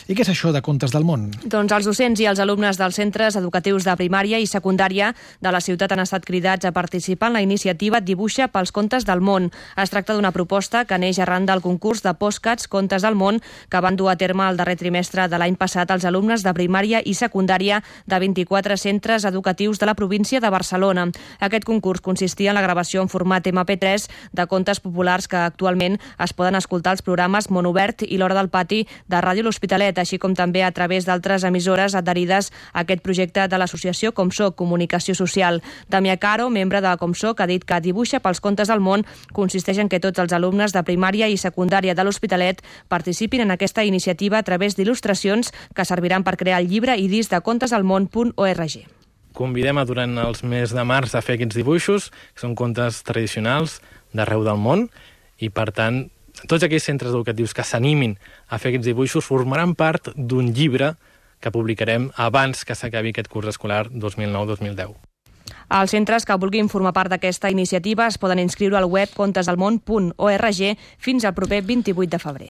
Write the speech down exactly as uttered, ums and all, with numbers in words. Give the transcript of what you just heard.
I què és això de Contes del Món? Doncs els docents i els alumnes dels centres educatius de primària i secundària de la ciutat han estat cridats a participar en la iniciativa Dibuixa pels Contes del Món. Es tracta d'una proposta que neix arran del concurs de Postcats Contes del Món que van dur a terme el darrer trimestre de l'any passat els alumnes de primària i secundària de vint-i-quatre centres educatius de la província de Barcelona. Aquest concurs consistia en la gravació en format ema pe tres de contes populars que actualment es poden escoltar als programes Monobert i l'Hora del Pati de Ràdio L'Hospitalet, així com també a través d'altres emissores adherides a aquest projecte de l'associació Comsoc, Comunicació Social. Damià Caro, membre de Comsoc, ha dit que Dibuixa pels Contes del Món consisteix en que tots els alumnes de primària i secundària de l'Hospitalet participin en aquesta iniciativa a través d'il·lustracions que serviran per crear el llibre i disc de contes del món punt org. Convidem a durant els mesos de març a fer aquests dibuixos, que són contes tradicionals d'arreu del món, i per tant tots aquells centres educatius que s'animin a fer aquests dibuixos formaran part d'un llibre que publicarem abans que s'acabi aquest curs escolar dos mil nou dos mil deu. Els centres que vulguin formar part d'aquesta iniciativa es poden inscriure al web contesdelmón punt org fins al proper vint-i-vuit de febrer.